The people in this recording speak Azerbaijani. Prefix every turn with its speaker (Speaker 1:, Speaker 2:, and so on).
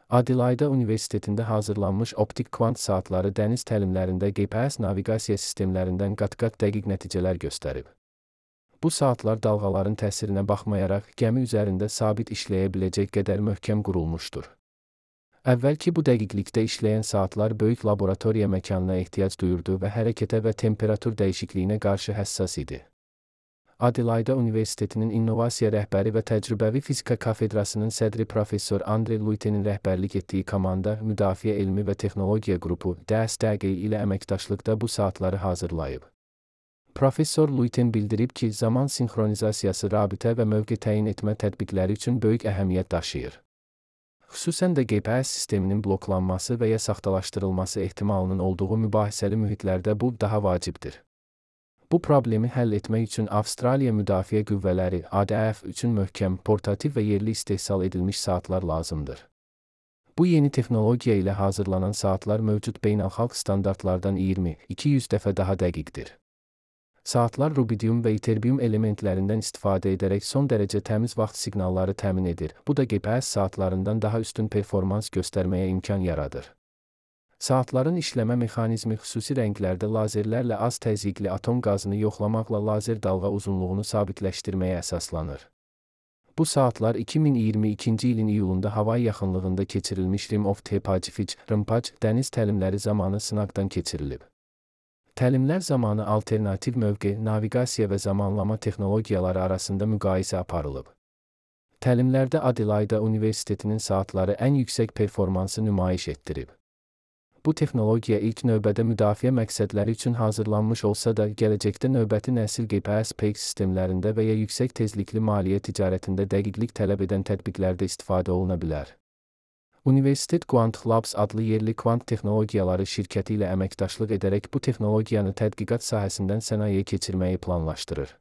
Speaker 1: Adelaide Universitetində hazırlanmış optik kvant saatları dəniz təlimlərində GPS naviqasiya sistemlərindən qat-qat dəqiq nəticələr göstərib. Bu saatlar dalğaların təsirinə baxmayaraq gəmi üzərində sabit işləyə biləcək qədər möhkəm qurulmuşdur. Əvvəlki bu dəqiqlikdə işləyən saatlar böyük laboratoriya məkanına ehtiyac duyurdu və hərəkətə və temperatur dəyişikliyinə qarşı həssas idi. Adelaide Universitetinin innovasiya rəhbəri və təcrübəvi fizika kafedrasının sədri professor Andre Luitenin rəhbərlik etdiyi komanda Müdafiə Elmi və Texnologiya qrupu DSTG ilə əməkdaşlıqda bu saatları hazırlayıb. Professor Luiten bildirib ki, zaman sinxronizasiyası rabitə və mövqe təyin etmə tətbiqləri üçün böyük əhəmiyyət daşıyır. Xüsusən də GPS sisteminin bloklanması və ya saxtalaşdırılması ehtimalının olduğu mübahisəli mühitlərdə bu daha vacibdir. Bu problemi həll etmək üçün Avstraliya Müdafiə Qüvvələri ADF üçün möhkəm, portativ və yerli istehsal edilmiş saatlar lazımdır. Bu yeni texnologiya ilə hazırlanan saatlar mövcud beynəlxalq standartlardan 20-200 dəfə daha dəqiqdir. Saatlar rubidium və iterbium elementlərindən istifadə edərək son dərəcə təmiz vaxt siqnalları təmin edir. Bu da GPS saatlarından daha üstün performans göstərməyə imkan yaradır. Saatların işləmə mexanizmi xüsusi rənglərdə lazerlərlə az təzyiqli atom qazını yoxlamaqla lazer dalğa uzunluğunu sabitləşdirməyə əsaslanır. Bu saatlar 2022-ci ilin iyulunda Havay yaxınlığında keçirilmiş Rim of the Pacific (RIMPAC) dəniz təlimləri zamanı sınaqdan keçirilib. Təlimlər zamanı alternativ mövqe, naviqasiya və zamanlama texnologiyaları arasında müqayisə aparılıb. Təlimlərdə Adelaide Universitetinin saatları ən yüksək performansı nümayiş etdirib. Bu texnologiya ilk növbədə müdafiə məqsədləri üçün hazırlanmış olsa da, gələcəkdə növbəti nəsil GPS-PEG sistemlərində və ya yüksək tezlikli maliyyə ticarətində dəqiqlik tələb edən tətbiqlərdə istifadə oluna bilər. Universitet Quant Labs adlı yerli kvant texnologiyaları şirkəti ilə əməkdaşlıq edərək bu texnologiyanı tədqiqat sahəsindən sənayeyə keçirməyi planlaşdırır.